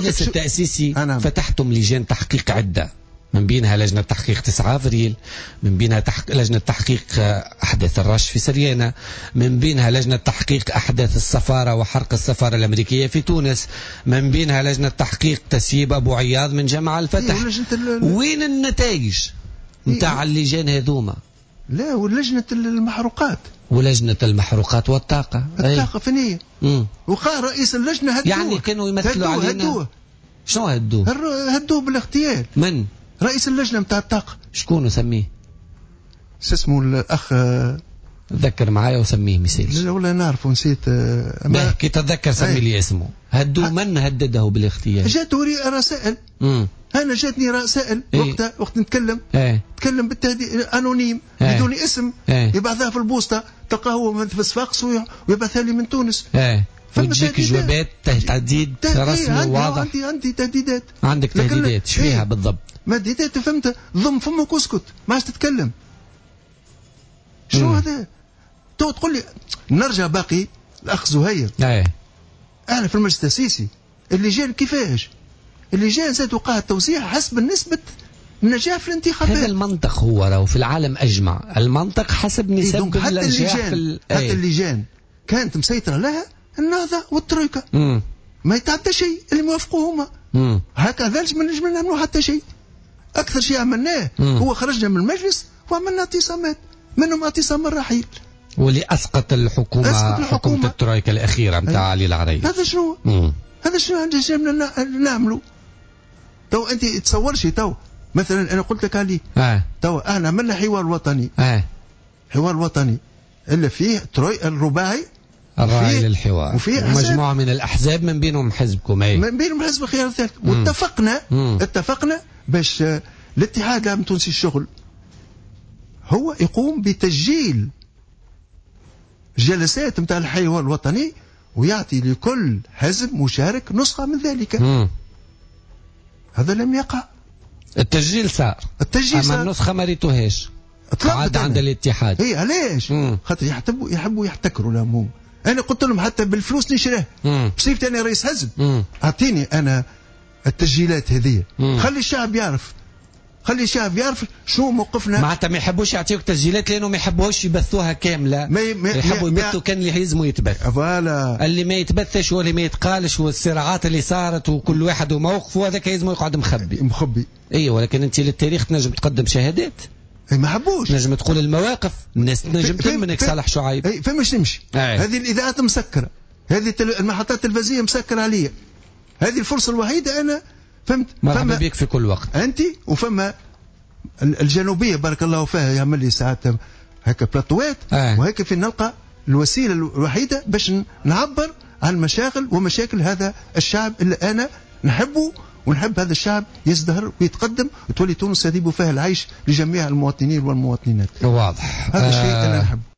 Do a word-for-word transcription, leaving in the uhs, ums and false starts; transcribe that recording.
المجلس التأسيسي فتحتم لجان تحقيق عدة، من بينها لجنة تحقيق تسعة أفريل، من بينها تحق... لجنة تحقيق أحداث الرش في سريانة، من بينها لجنة تحقيق أحداث السفارة وحرق السفارة الأمريكية في تونس، من بينها لجنة تحقيق تسييب أبو عياض من جامعة الفتح. إيه وين النتائج نتاع اللجان هذوما؟ لا، ولجنة المحروقات، ولجنة المحروقات والطاقة، الطاقة فين هي؟ وقال رئيس اللجنة هدوه، يعني كانوا يمثلوا علينا. هدوه. شنو هدوه؟ هدوه بالاغتيال. من؟ رئيس اللجنة نتاع الطاقة. شكون سميه؟ شو اسمه الأخ؟ تذكر معايا وسميه مثال. لا والله نعرفه نسيت. أما كي تتذكر سمي لي اسمه. هدوه من هدده بالاغتيال؟ جاته رسائل. مم. أنا جاتني رسائل إيه؟ وقتها وقت نتكلم. إيه؟ تكلم بالتهديد anonyme. إيه؟ بدون اسم. إيه؟ يبعثها في البوسطة، تلقاه هو في صفاقس ويبعثها لي من تونس. إيه؟ وتجيك جوابات تهديد رسمي واضح. عندي عندي تهديدات. عندك تهديدات، ايش فيها إيه؟ بالضبط؟ ما تهديدات فهمت، ضم فمك واسكت، ما عادش تتكلم. شنو هذا؟ تو تقول لي نرجع باقي الاخ زهير. ايه انا في المجلس التاسيسي اللجان كيفاش؟ اللجان زاد وقع التوزيع حسب نسبة النجاح في الانتخابات. هذا المنطق هو راهو في العالم اجمع، المنطق حسب نسب إيه النجاح في ال... حتى ايه. اللجان كانت مسيطرة لها النهضة والترويكا. مم. ما يتعدى شيء اللي موافقوه هما. هكذا ما نجم نعملوا حتى شيء. أكثر شيء عملناه مم. هو خرجنا من المجلس وعملنا اعتصامات، منهم اعتصام الرحيل واللي أسقط الحكومة، أسقط الحكومة. حكومة الترويكا الأخيرة نتاع علي العريض. هذا شنو؟ مم. هذا شنو نجمنا نعملوا؟ تو أنت تصورش تو مثلا أنا قلت لك عليه. آه. تو أنا عملنا حوار وطني. آه. حوار وطني اللي فيه تروي الرباعي الراعي للحوار وفيه مجموعة من الأحزاب من بينهم حزبكم. أي من بينهم حزب الخيار الثالث. واتفقنا مم. اتفقنا باش الاتحاد العام التونسي الشغل هو يقوم بتسجيل جلسات نتاع الحوار الوطني ويعطي لكل حزب مشارك نسخة من ذلك. مم. هذا لم يقع. التسجيل صار، التسجيل أما صار. النسخة ما ريتوهاش عاد عند الاتحاد. اي علاش؟ خاطر يحبوا يحبوا يحتكروا لهم هم. انا قلت لهم حتى بالفلوس نشريه. بصفتي انا رئيس حزب اعطيني انا التسجيلات هذه، خلي الشعب يعرف، خلي الشعب يعرف شو موقفنا. معناتها ما يحبوش يعطيوك تسجيلات لانه ما يحبوش يبثوها كاملة، ما ما يحبوا يبثوا كان اللي يلزموا يتبث. voilà اللي ما يتبثش واللي ما يتقالش والصراعات اللي صارت وكل واحد وموقفه هذاك يلزمه يقعد مخبي. مخبي. اي ولكن انت للتاريخ تنجم تقدم شهادات. اي ما حبوش. نجم تقول المواقف، الناس تنجم تهمنك صالح شعيب. اي فماش نمشي. هذه الاذاعات مسكره، هذه المحطات التلفزيونية مسكره عليا. هذه الفرصة الوحيدة انا فهمت. مرحبا بك في كل وقت انت. وفما الجنوبية بارك الله فيها يعمل لي ساعات هكا بلاطوات. آه. وهيك في نلقى الوسيلة الوحيدة باش نعبر عن مشاغل ومشاكل هذا الشعب اللي انا نحبه ونحب هذا الشعب يزدهر ويتقدم وتولي تونس يذيب فيها العيش لجميع المواطنين والمواطنات. واضح هذا الشيء آه. انا نحبه.